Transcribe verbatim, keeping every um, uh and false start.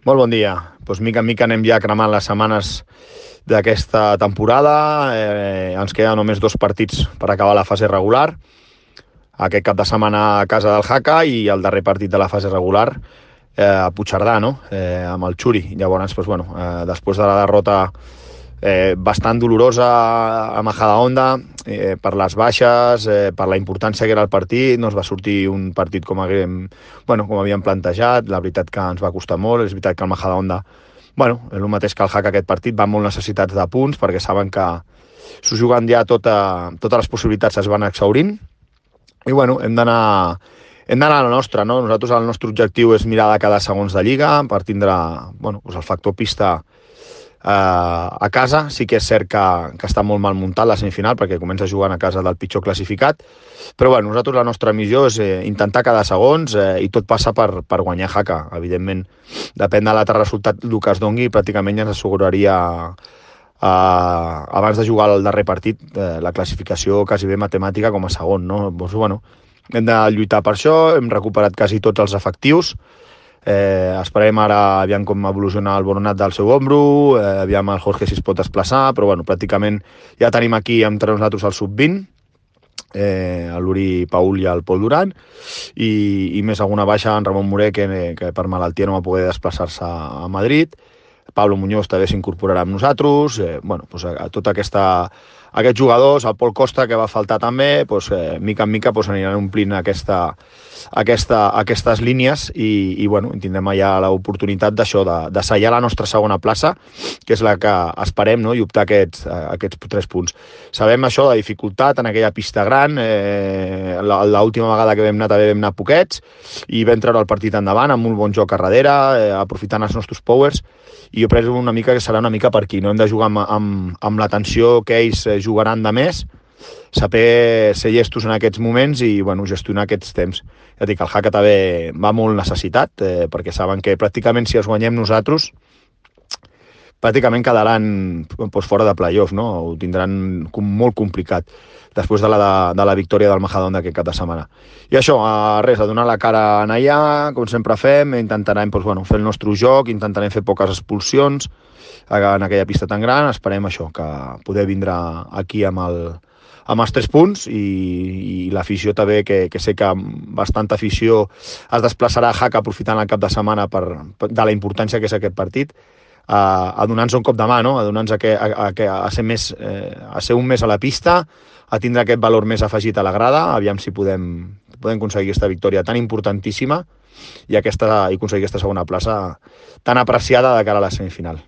Molt bon dia. Doncs mica en mica anem ja cremant les setmanes d'aquesta temporada. Eh, ens queden només dos partits per acabar la fase regular. Aquest cap de setmana a casa del Jaca i el darrer partit de la fase regular eh, a Puigcerdà, no? eh, amb el Xuri. Llavors, doncs, bueno, eh, després de la derrota eh, bastant dolorosa a Majadahonda, eh, per les baixes, eh, per la importància que era el partit, no es va sortir un partit com haguem, bueno, com havíem plantejat. La veritat que ens va costar molt. És veritat que el Majadahonda, bueno, és el mateix que el Jaca, aquest partit, van molt necessitats de punts perquè saben que s'ho juguen ja tota, totes les possibilitats es van exhaurint. I bueno, hem d'anar hem d'anar a la nostra, no? Nosaltres el nostre objectiu és mirar de cada segons de lliga per tindre, bueno, doncs el factor pista eh, a casa. Sí que és cert que, que està molt mal muntat la semifinal perquè comença jugant a casa del pitjor classificat, però bueno, nosaltres la nostra missió és eh, intentar cada segons eh, i tot passa per, per guanyar Jaca. Evidentment, depèn de l'altre resultat el que es doni, pràcticament ja ens asseguraria Uh, abans de jugar el darrer partit uh, la classificació quasi bé matemàtica com a segon, no? Doncs, bueno, hem de lluitar per això. Hem recuperat quasi tots els efectius. Eh, esperem ara aviam com evoluciona el Boronat del seu ombro, eh, aviam el Jorge si es pot desplaçar, però bueno, pràcticament ja tenim aquí entre nosaltres el sub vint, eh, l'Uri Paul i el Pol Duran, i, i més alguna baixa en Ramon Moré, que, que per malaltia no va poder desplaçar-se a Madrid. Pablo Muñoz també s'incorporarà amb nosaltres. Eh, bueno, doncs a, a tota aquesta, aquests jugadors, el Pol Costa, que va faltar també, doncs, eh, mica en mica doncs, aniran omplint aquesta, aquesta, aquestes línies i, i bueno, tindrem ja l'oportunitat d'això, de, de sellar la nostra segona plaça, que és la que esperem, no? I optar aquests, aquests tres punts. Sabem això, la dificultat en aquella pista gran. Eh, l'última vegada que vam anar també vam anar poquets i vam treure el partit endavant amb un bon joc a darrere, eh, aprofitant els nostres powers. I jo penso una mica que serà una mica per aquí, no? Hem de jugar amb, amb, amb l'atenció que ells jugaran de més, saber ser llestos en aquests moments i bueno, gestionar aquests temps. Ja dic, el Jaca també va molt necessitat, eh, perquè saben que pràcticament si els guanyem nosaltres pràcticament quedaran doncs, fora de playoff, no? Ho tindran com molt complicat després de la, de, de la victòria del Majadahonda aquest cap de setmana. I això, a res, a donar la cara a allà, com sempre fem, intentarem doncs, bueno, fer el nostre joc, intentarem fer poques expulsions en aquella pista tan gran. Esperem això, que poder vindre aquí amb, el, amb els tres punts i, i l'afició també, que, que sé que bastanta afició es desplaçarà a Jaca aprofitant el cap de setmana per, per, de la importància que és aquest partit, a, a donar-nos un cop de mà, no? A donar-nos a, a, a, a, ser més, eh, a ser un més a la pista, a tindre aquest valor més afegit a la grada, aviam si podem, podem aconseguir aquesta victòria tan importantíssima i, aquesta, i aconseguir aquesta segona plaça tan apreciada de cara a la semifinal.